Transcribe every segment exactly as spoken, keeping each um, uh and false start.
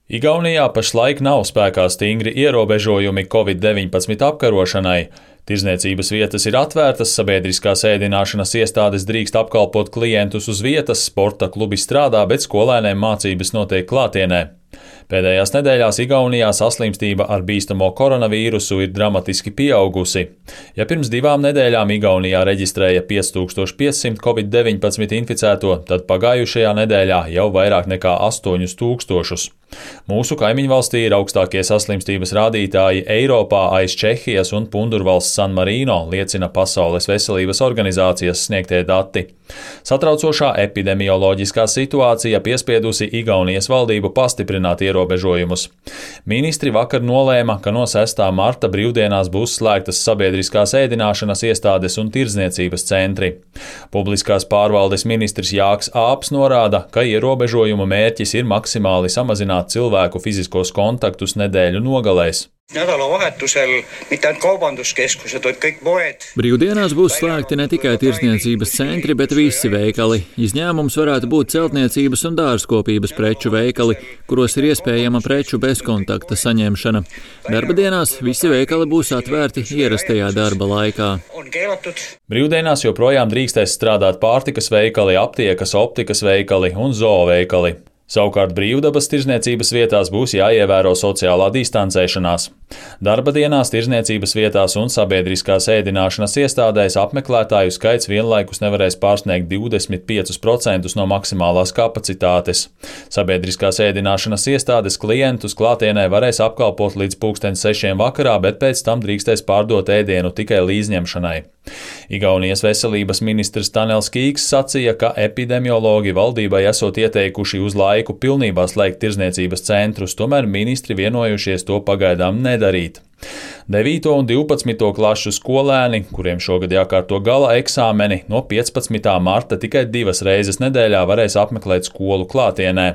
Igaunijā pašlaik nav spēkā stingri ierobežojumi covid deviņpadsmit apkarošanai. Tirzniecības vietas ir atvērtas, sabiedriskās ēdināšanas iestādes drīkst apkalpot klientus uz vietas, sporta klubi strādā, bet skolēniem mācības notiek klātienē. Pēdējās nedēļās Igaunijā saslimstība ar bīstamo koronavīrusu ir dramatiski pieaugusi. Ja pirms divām nedēļām Igaunijā reģistrēja pieci tūkstoši piecsimt covid deviņpadsmit inficēto, tad pagājušajā nedēļā jau vairāk nekā astoņus tūkstošus. Mūsu kaimiņvalstī ir augstākie saslimstības rādītāji Eiropā aiz Čehijas un Pundurvalsts San Marino, liecina Pasaules veselības organizācijas sniegtie dati. Satraucošā epidemioloģiskā situācija piespiedusi Igaunijas valdību pastiprināt ierobežojumus. Ministri vakar nolēma, ka no sestā marta brīvdienās būs slēgtas sabiedriskās ēdināšanas iestādes un tirdzniecības centri. Publiskās pārvaldes ministrs Jāks Āps norāda, ka ierobežojumu mērķis ir maksimāli samazināt cilvēku fiziskos kontaktus nedēļu nogalēs. Nädalavahetusel mitte ainult kaubanduskeskused, vaid kõik poed. Brīvdienās būs slēgti ne tikai tirdzniecības centri, bet visi veikali. Izņēmums varētu būt celtniecības un dārzkopības preču veikali, kuros ir iespējama preču bezkontakta saņemšana. Darba dienās visi veikali būs atvērti ierastajā darba laikā. Brīvdienās joprojām drīkstēs strādāt pārtikas veikali, aptiekas, optikas veikali un zooveikali. Savukārt brīvdabas tirdzniecības vietās būs jāievēro sociālā distancēšanās. Darba dienās tirdzniecības vietās un sabiedriskās ēdināšanas iestādēs apmeklētāju skaits vienlaikus nevarēs pārsniegt divdesmit piecus procentus no maksimālās kapacitātes. Sabiedriskās ēdināšanas iestādes klientus klātienē varēs apkalpot līdz pulksten sešiem vakarā, bet pēc tam drīkstēs pārdot ēdienu tikai līdzņemšanai. Igaunijas veselības ministrs Tanels Kīks sacīja, ka epidemiologi valdībai esot ieteikuši uz laiku pilnībā slēgt tirdzniecības centrus, tomēr ministri vienojušies to pagaidām nedarīt. devīto un divpadsmito klašu skolēni, kuriem šogad jākārto gala eksāmeni, no piecpadsmitā marta tikai divas reizes nedēļā varēs apmeklēt skolu klātienē.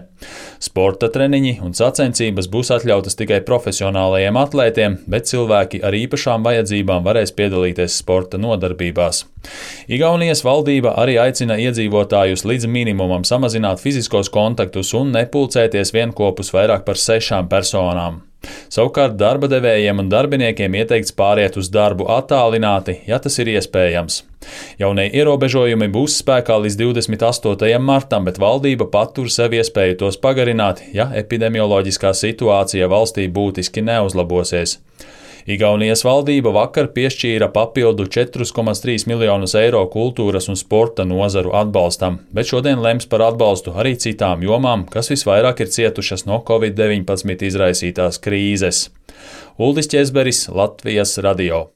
Sporta treniņi un sacensības būs atļautas tikai profesionālajiem atlētiem, bet cilvēki ar īpašām vajadzībām varēs piedalīties sporta nodarbībās. Igaunijas valdība arī aicina iedzīvotājus līdz minimumam samazināt fiziskos kontaktus un nepulcēties vienkopus vairāk par sešām personām. Savukārt darba devējiem un darbiniekiem ieteikts pāriet uz darbu attālināti, ja tas ir iespējams. Jaunie ierobežojumi būs spēkā līdz divdesmit astotajam martam, bet valdība patur sev iespēju tos pagarināt, ja epidemioloģiskā situācija valstī būtiski neuzlabosies. Igaunijas valdība vakar piešķīra papildu četrus komats trīs miljonus eiro kultūras un sporta nozaru atbalstam, bet šodien lems par atbalstu arī citām jomām, kas visvairāk ir cietušas no covid deviņpadsmit izraisītās krīzes. Uldis Ķezberis, Latvijas radio.